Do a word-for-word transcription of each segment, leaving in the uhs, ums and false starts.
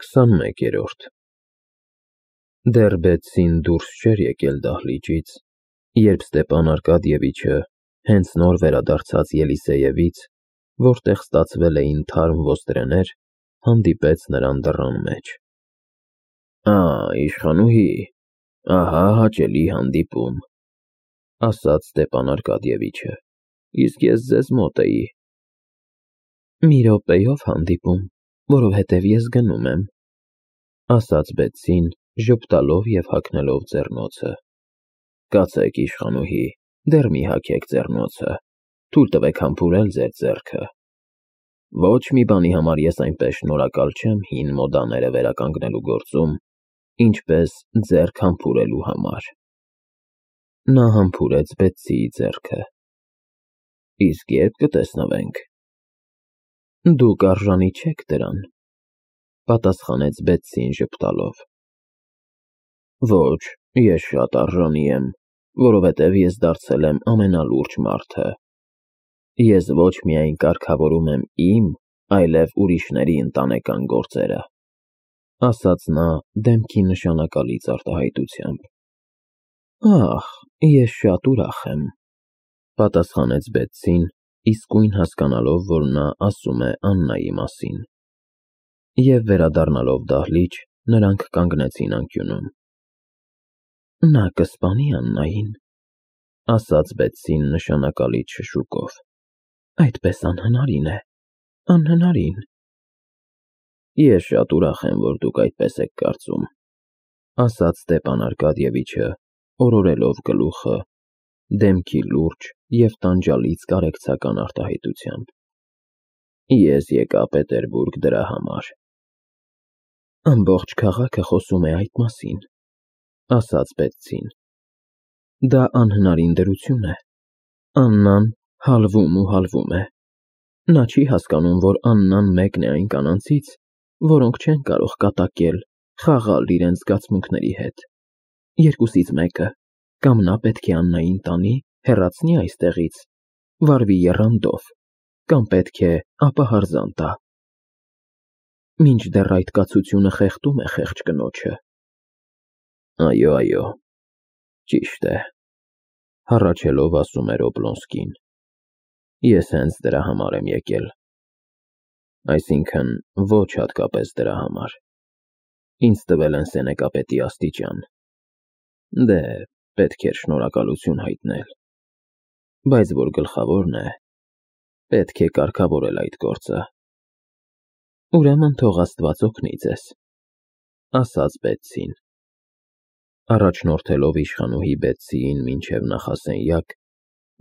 քսանմեկերորդ Դեռ Բեցսին դուրս չէր եկել դահլիճից, երբ Ստեփան Արկադիևիչը, հենց նոր վերադարձած Ելիսեևից, որտեղ ստացվել էին թարմ ոստրեներ, հանդիպեց նրան դռան մեջ։ «Ա, իշխանուհի, ահա հաճելի հանդիպում», ֊ ասաց Ստեփան Արկադիևիչը, իսկ ես ձեզ մոտ էի։ «Մի րոպեով հանդիպում, որովհետև ես գնում եմ», ֊ ասաց Բեցսին, ժպտալով և հագնելով ձեռնոցը։ «Կացեք, իշխանուհի, դեռ մի հագեք ձեռնոցը, թույլ տվեք համբուրել ձեր ձեռքը։ Ոչ մի բանի համար ես այնպես շնորհակալ չեմ հին մոդաները վերականգնելու գործում, ինչպես ձեռք համբուրելու համար»։ Նա համբուրեց Բեցսիի ձեռքը։ «Իսկ ե՞րբ կտեսնվենք»։ «Դուք արժանի չեք դրան», ֊ պատասխանեց Բեցսին ժպտալով։ «Ոչ, ես շատ արժանի եմ, որովհետև ես դարձել եմ ամենալուրջ մարդը։ Ես ոչ միայն կարգավորում եմ իմ, այլև ուրիշների ընտանեկան գործերը», ֊ ասաց նա դեմքի նշանակալից արտահայտությամբ։ «Ահ, ես շատ ուրախ եմ», ֊ պատասխանեց Բեցսին, իսկույն հասկանալով, որ նա ասում է Աննայի մասին։ Եվ վերադառնալով դահլիճ, նրանք կանգնեցին անկյունում։ «Նա կսպանի Աննային», ֊ ասաց Բեցսին նշանակալից շշուկով։ «Այդպես անհնարին է, անհնարին»։ «Ես շատ ուրախ եմ, որ դուք այդպես եք կարծում», ֊ ասաց Ստեփան Արկադիևիչը, օրորելով գլուխը, դեմքի լուրջ և տանջալից կարեկցական արտահայտությամբ։ «Ես եկա Պետերբուրգ դրա համար»։ «Ամբողջ քաղաքը խոսում է այդ մասին», ֊ ասաց Բեցսին։ «Դա անհնարին դրություն է։ Աննան հալվում ու հալվում է։ Նա չի հասկանում, որ Աննան մեկն է այն կանանցից, որոնք չեն կարող կատակել, խաղալ իրենց զգացմունքների հետ։ Երկուսից մեկը, կամ նա պետք է Աննային տանի, հեռացնի այստեղից, վարվի եռանդով, կամ պետք է ապահարզան տա։ Մինչդեռ այդ կացությունը խեղդում է խեղճ կնոջը»։ «Այո, այո, ճիշտ է», ֊ հառաչելով ասում էր Օբլոնսկին։ «Ես հենց դրա համար եմ եկել։ Այսինքն, ոչ հատկապես դրա համար։ Ինձ տվել են սենեկապետի աստիճան։ Դե, պետք էր շնորհակալություն հայտնել։ Բայց որ գլխավորն է, պետք է կարգավորել այդ գործը»։ «Ուրեմն թող Աստված օգնի ձեզ», ֊ ասաց Բեցսին։ Առաջնորդելով իշխանուհի Բեցսիին մինչև նախասենյակ,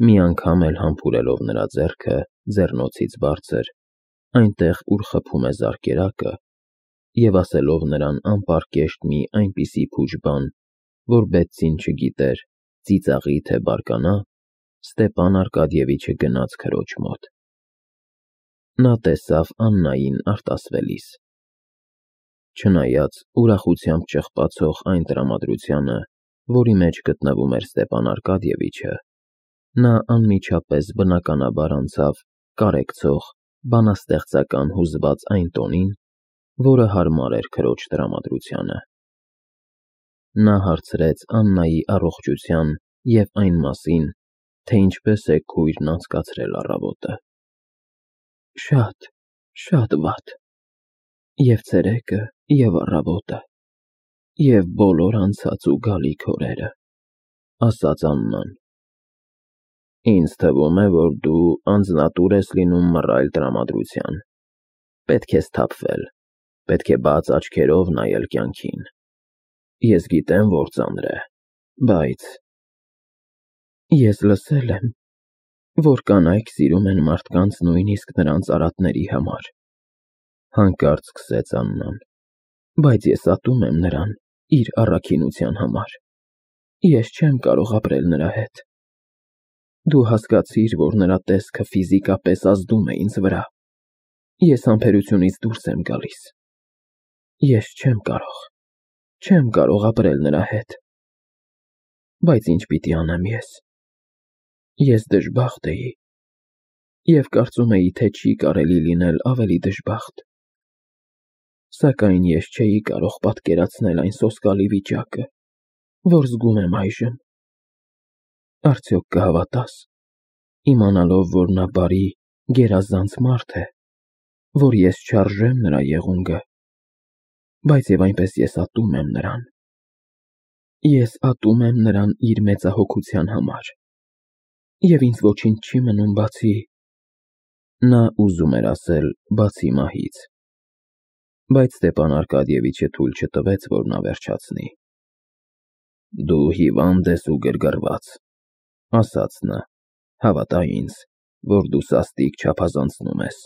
մի անգամ էլ համբուրելով նրա ձեռքը ձեռնոցից բարձր, այնտեղ, ուր խփում է զարկերակը, և ասելով նրան անպարկեշտ մի այնպիսի փուչ բան, որ Բեցսին չգիտեր ծիծաղի թե բարկանա, Ստեփան Արկադիևիչը գնաց քրոջ մոտ։ Նա տեսավ Աննային արտասվելիս։ Չնայած ուրախությամբ ճղպացող այն տրամադրությանը, որի մեջ գտնվում էր Ստեփան Արկադիևիչը, նա անմիջապես բնականաբար անցավ կարեկցող, բանաստեղծական հուզված այն տոնին, որը հարմար էր քրոջ տրամադրությանը։ Նա հարցրեց Աննայի առողջության և այն մասին, թե ինչպես է քույրն անցկացրել առավոտը։ «Շատ, շատ վատ, և ցերեկը, և առավոտը, և բոլոր անցած ու գալիք օրերը», ֊ ասաց Աննան։ «Ինձ թվում է, որ դու անձնատուր ես լինում մռայլ տրամադրության։ Պետք է սթափվել, պետք է բաց աչքերով նայել կյանքին։ Ես գիտեմ, որ ծանր է, բայց…» «Ես լսել եմ, որ կանայք սիրում են մարդկանց նույնիսկ նրանց արատների համար», ֊ հանկարծ սկսեց Աննան, «բայց ես ատում եմ նրան իր առաքինության համար։ Ես չեմ կարող ապրել նրա հետ։ Դու հասկացիր, որ նրա տեսքը ֆիզիկապես ազդում է ինձ վրա։ Ես համբերությունից դուրս եմ գալիս։ Ես չեմ կարող, չեմ կարող ապրել նրա հետ։ Բայց ինչ պիտի անեմ ես։ Ես դժբախտ էի և կարծում էի, թե չի կարելի լինել ավելի դժբախտ։ Սակայն ես չէի կարող պատկերացնել այն սոսկալի վիճակը, որ զգում եմ այժմ։ Արդյոք կհավատաս, իմանալով, որ նա բարի, գերազանց մարդ է, որ ես չարժեմ նրա եղունգը, բայց և այնպես ես ատում եմ նրան։ Ես ատում եմ նրան իր մեծահոգության համար, և ինձ ոչինչ չի մնում բացի… Նա ուզում էր ասել բացի մահից, բայց Ստեփան Արկադիևիչը թույլ չտվեց, որ նա վերջացնի։ Դու հիվանդ ես ու գրգռված, ասաց նա, հավատա ինձ, որ դու սաստիկ չափազանցնում ես,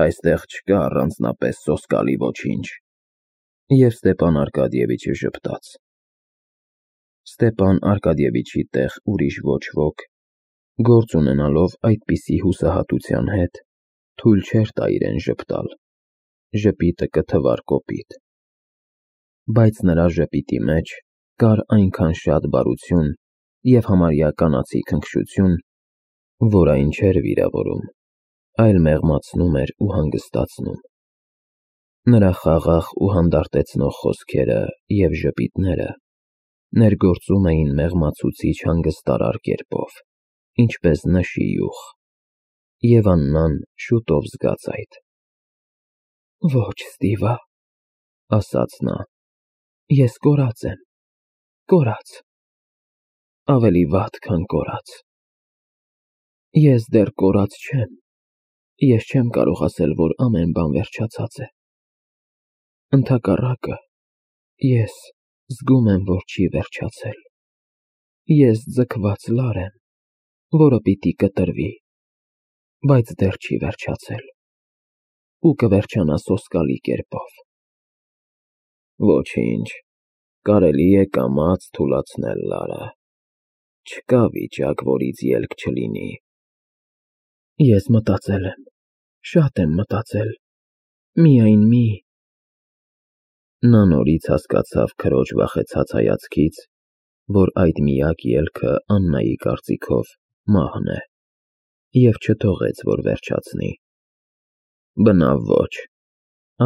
այստեղ չկա առանձնապես սոսկալի ոչինչ։ Եվ Ստեփան Արկադիևիչը ժպտաց։ Ստեփան Արկադիևիչի տեղ ուրիշ ոչ ոք, գործ ունենալով այդպիսի հուսահատության հետ, թույլ չէր տա իրեն ժպտալ, ժպիտը կթվար կոպիտ։ Բայց նրա ժպիտի մեջ կար այնքան շատ բարություն և համարյա կանացի քնքշություն, որ այն չէր վիրավորում, այլ մեղմացնում էր ու հանգստացնում։ Նրա խաղաղ ու հանդարտեցնող խոսքերը և ժպիտները ներգործում էին մեղմացուցիչ հանգստարար կերպով, ինչպես նշի յուղ, և Աննան շուտով զգաց այդ։ Ոչ, Ստիվա, ասաց նա, ես կորած եմ, կորած, ավելի վատ, քան կորած։ Ես դեռ կորած չեմ, ես չեմ կարող ասել, որ ամեն բան վերջացած է։ Ընդհակառակը, ես զգում եմ, որ չի վերջացել։ Ես ձգված լար եմ, որը պիտի կտրվի, բայց դեռ չի վերջացել, ու կվերջանա սոսկալի կերպով։ Ոչինչ, կարելի է կամաց թուլացնել լարը, չկա վիճակ, որից ելք չլինի։ Ես մտածել եմ, շատ եմ մտածել, միայն մի… Նա նորից հասկացավ քրոջ վախեցած հայացքից, որ այդ միակ ելքը Աննայի կարծիքով մահն է, և չթողեց, որ վերջացնի։ Բնավ ոչ,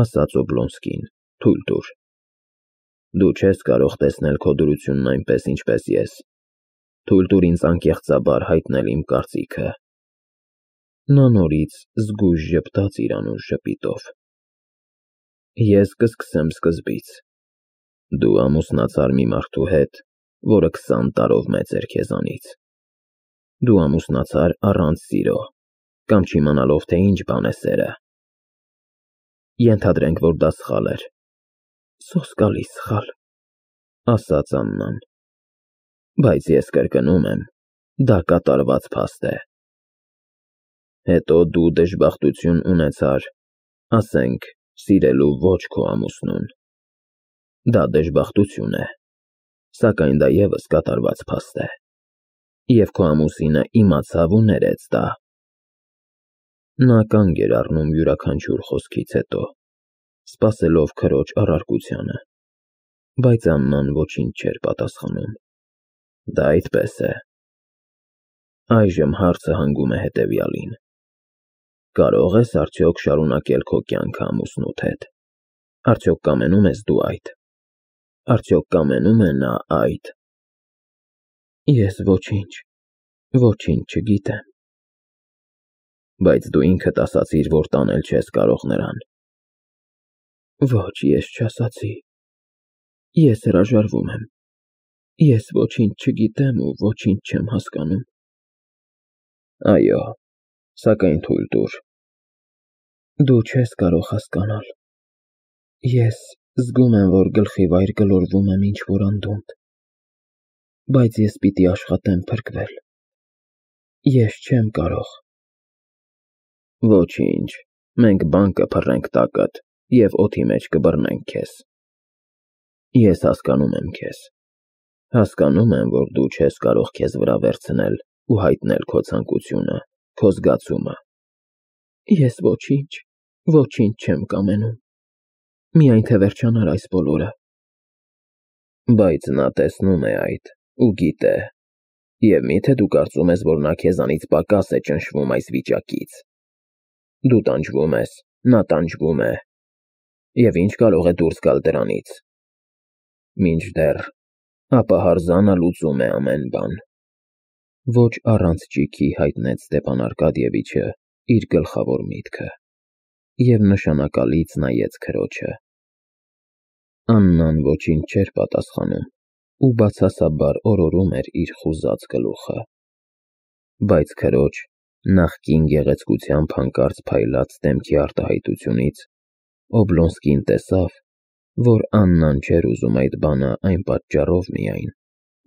ասաց Օբլոնսկին, թույլ տուր։ Դու չես կարող տեսնել քո դրությունն այնպես, ինչպես ես, թույլ տուր ինձ անկեղծաբար հայտնել իմ կարծիքը։ Նա նորից զգույշ ժպտաց իր անուշ ժպիտով։ Ես կսկսեմ սկզբից։ Դու ամուսնացար մի մարդու հետ, որը քսան տարով մեծ էր քեզանից։ Դու ամուսնացար առանց սիրո, կամ չիմանալով, թե ինչ բան է սերը։ Ենթադրենք, որ դա սխալ էր։ Սոսկալի սխալ, ասաց Աննան։ Բայց ես կրկնում եմ, դա կատարված փաստ է։ Հետո դու դժբախտություն ունեցար, ասենք, սիրելու ոչ քո ամուսնուն։ Դա դժբախտություն է, սակայն դա ևս կատարված փաստ է, և քո ամուսինը իմացավ ու ներեց դա։ Նա կանգ էր առնում յուրաքանչյուր խոսքից հետո, սպասելով քրոջ առարկությանը, բայց Աննան ոչինչ չէր պատասխանում։ Դա այդպես է։ Այժմ հարցը հանգում է հետևյալին. կարող ես արդյոք շարունակել քո կյանքը ամուսնուդ հետ։ Արդյոք կամենում ես դու այդ։ Արդյոք կամենում է նա այդ։ Ես ոչինչ, ոչինչ չգիտեմ։ Բայց դու ինքդ ասացիր, որ տանել չես կարող նրան։ Ոչ, ես չասացի։ Ես հրաժարվում եմ։ Ես ոչինչ չգիտեմ ու ոչինչ չեմ հասկանում։ Այո, սակայն թույլ տուր։ Դու չես կարող հասկանալ։ Ես զգում եմ, որ գլխի վայր գլորվում եմ ինչ-որ անդունդ, բայց ես պիտի աշխատեմ փրկվել։ Ես չեմ կարող։ Ոչինչ, մենք բան կփռենք տակդ և օդի մեջ կբռնենք քեզ։ Ես հասկանում եմ քեզ։ Հասկանում եմ, որ դու չես կարող քեզ վրա վերցնել ու հայտնել քո ցանկությունը, քո զգացումը։ Ես ոչինչ, ոչինչ չեմ կամենում։ Միայն թե վերջանար այս բոլորը։ Բայց նա տեսնում է այդ ու գիտե։ Եվ մի՞թե դու կարծում ես, որ նա քեզանից պակաս է ճնշվում այս վիճակից։ Դու տանջվում ես, նա տանջվում է։ Եվ ինչ կարող է դուրս գալ դրանից։ Մինչդեռ, ապա հարզանը լուծում է ամեն բան։ Ոչ առանց ճիգի հայտնեց Ստեփան Արկադիևիչը իր գլխավոր միտքը և նշանակալից նայեց քրոջը։ Աննան ոչինչ չէր պատասխանում ու բացասաբար օրորում էր իր խուզած գլուխը։ Բայց քրոջ նախկին գեղեցկությամբ հանկարծ փայլած դեմքի արտահայտությունից Օբլոնսկին տեսավ, որ Աննան չէր ուզում այդ բանը այն պատճառով միայն,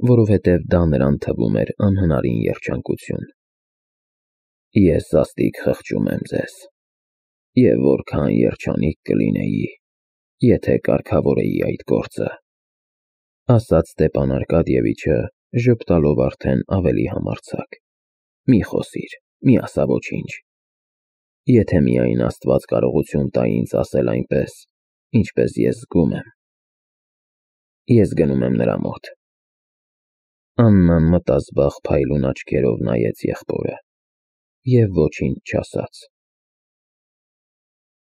որովհետև դա նրան թվում էր անհնարին երջանկություն։ Ես սաստիկ խղճում եմ ձեզ, և որքան երջանիկ կլինեի, եթե կարգավորեի այդ գործը, ասաց Ստեփան Արկադիևիչը, ժպտալով արդեն ավելի համարձակ։ Մի խոսիր, մի ասա ոչինչ։ Եթե միայն Աստված կարողություն տա ինձ ասել այնպես, ինչպես ես զգում եմ։ Ես գնում եմ նրա մոտ։ Աննան մտազբաղ փայլուն աչքերով նայեց եղբորը և ոչինչ չասաց։